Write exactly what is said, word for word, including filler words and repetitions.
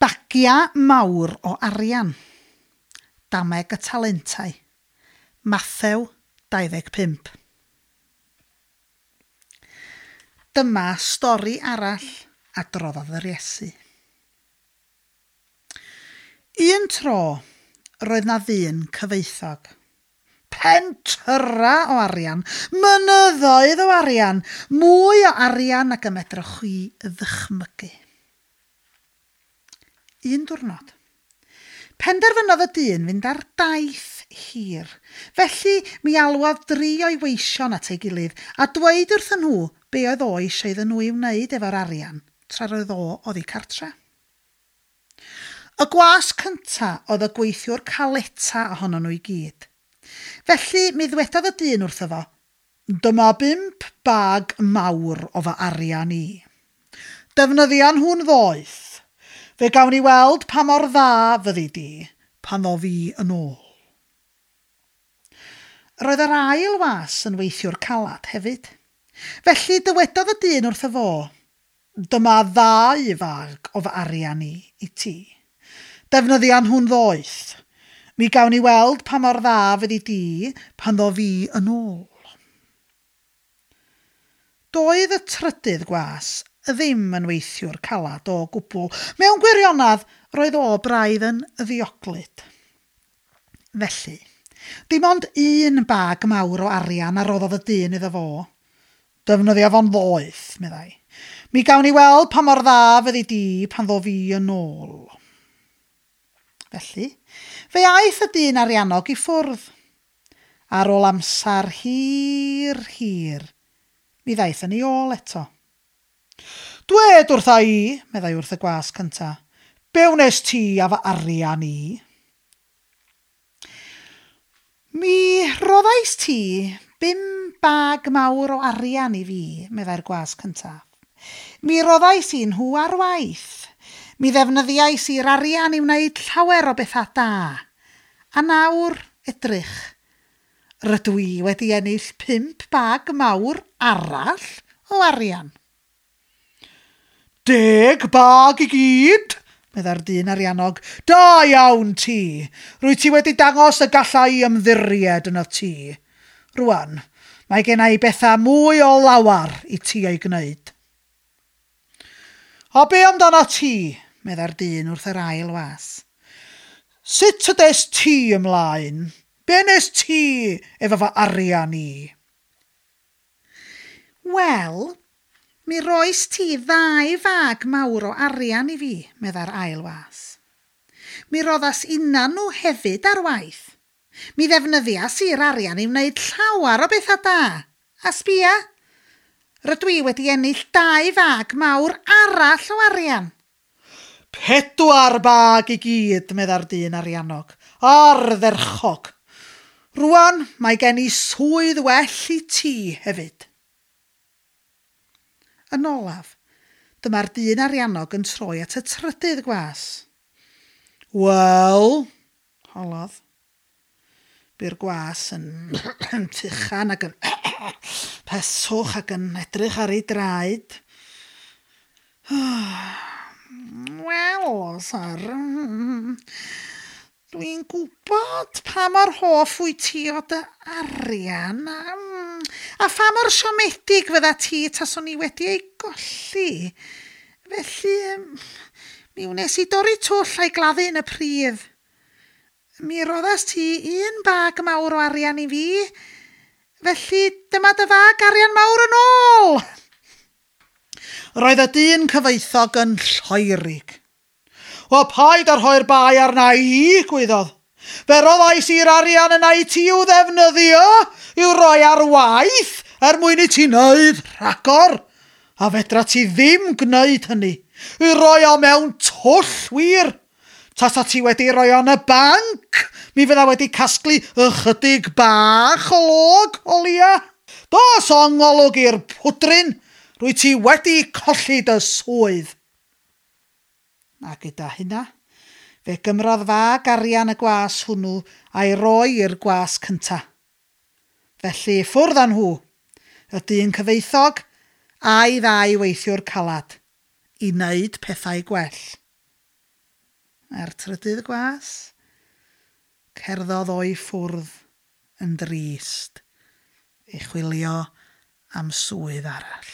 Bagia mawr o arian. Dameg y talentau. Mathew dau ddeg pump. Dyma stori arall adroddodd yr Iesu. Un tro, roedd na ddyn cyfoethog. Pentyra o arian, mynyddoedd o arian, mwy o arian nag y medrwch chi ddychmygu. Un diwrnod, penderfynodd y dyn fynd ar daith hir. Felly mi alwodd dri o'i weision at ei gilydd a dweud wrthyn nhw be oedd o eisiau iddyn nhw ei wneud efo'r arian tra roedd o oddi cartre. Y gwas cynta oedd y gweithiwr caleta ohonon nhw i gyd. Felly mi ddwedodd y dyn wrtho fo, dyma bump bag mawr o fy arian i. Defnyddia nhw'n ddoeth. Fe gawn ni weld pa mor dda fyddi di pan ddof fi yn ôl. Roedd yr ail was yn weithiwr calad hefyd. Felly dywedodd y dyn wrtho fo, dyma ddau fag o fy arian i i ti. Defnyddia nhw'n ddoeth. Mi gawn ni weld pa mor dda fyddi di pan ddof fi yn ôl. Doedd y trydydd gwas ddim yn weithiwr calad o gwbl. Mewn gwirionedd, roedd o braidd yn ddioglyd. Felly, dim ond un bag mawr o arian a roddodd y dyn iddo fo. Defnyddia fo'n ddoeth, meddai. Mi gawn ni weld pa mor dda fyddi di pan ddof fi yn ôl. Felly, fe aeth y dyn ariannog i ffwrdd. Ar ôl amser hir, hir, mi ddaeth yn ei ôl eto. Dwed wrtha i, meddai wrth y gwas cynta, be wnes ti a fy arian i? Mi roddais ti bum bag mawr o arian i fi, meddai'r gwas cyntaf. Mi roddais i nhw ar waith. Mi ddefnyddiais i'r arian i wneud llawer o bethau da. A nawr, edrych, rydw i wedi ennill pump bag mawr arall o arian. Deg bag i gyd, meddai'r dyn ariannog. Da iawn ti. Rwyt ti wedi dangos y galla i ymddiried yno ti. Rwan, mae gen i bethau mwy o lawar i ti ei gwneud. A be amdano ti, meddai'r dyn wrth yr ail was. Sut y des ti ymlaen? Be nes ti efo fy arian i? Wel, mi roes ti ddau fag mawr o arian i fi, meddai'r ail was. Mi roddas inna nhw hefyd ar waith. Mi ddefnyddias i'r arian i wneud llawer o bethau da. A sbia, rydw i wedi ennill dau fag mawr arall o arian. Pedwar bag i gyd, meddai'r dyn ariannog, ardderchog. Rwan, mae gen i swydd well i ti hefyd. Yn olaf, dyma'r dyn ariannog yn troi at y trydydd gwas. Wel, holodd. Bu'r gwas yn tuchan ac yn peswch ac yn edrych ar ei draed. Wel, sir, dwi'n gwybod pa mor hoff wyt ti o dy arian a, a pha mor siomedig fydda ti taswn i wedi ei golli. Felly, mi wnes i dorri twll a'i gladdu yn y pridd. Mi roddas ti un bag mawr o arian i fi, felly dyma dy fag arian mawr yn ôl. Roedd y dyn cyfoethog yn lloerig. O, paid â rhoi'r bai arna i, gwaeddodd. Fe roddais i'r arian yna i ti i'w ddefnyddio, i'w roi ar waith, er mwyn i ti wneud rhagor. A fedra ti ddim gwneud hynny, i roi o mewn twll wir. Tasa ti wedi roi o yn y banc, mi fydda wedi casglu ychydig bach o log o leia. Dos o ngolwg i'r pwdrin, rwy ti wedi colli dy swydd. A gyda hynna, fe gymrodd fag arian y gwas hwnnw a'i roi i'r gwas cynta. Felly ffwrdd â nhw, y dyn cyfoethog a'i ddau weithiwr calad, i wneud pethau gwell. A'r trydydd gwas? Cerddodd o'i ffwrdd yn drist i chwilio am swydd arall.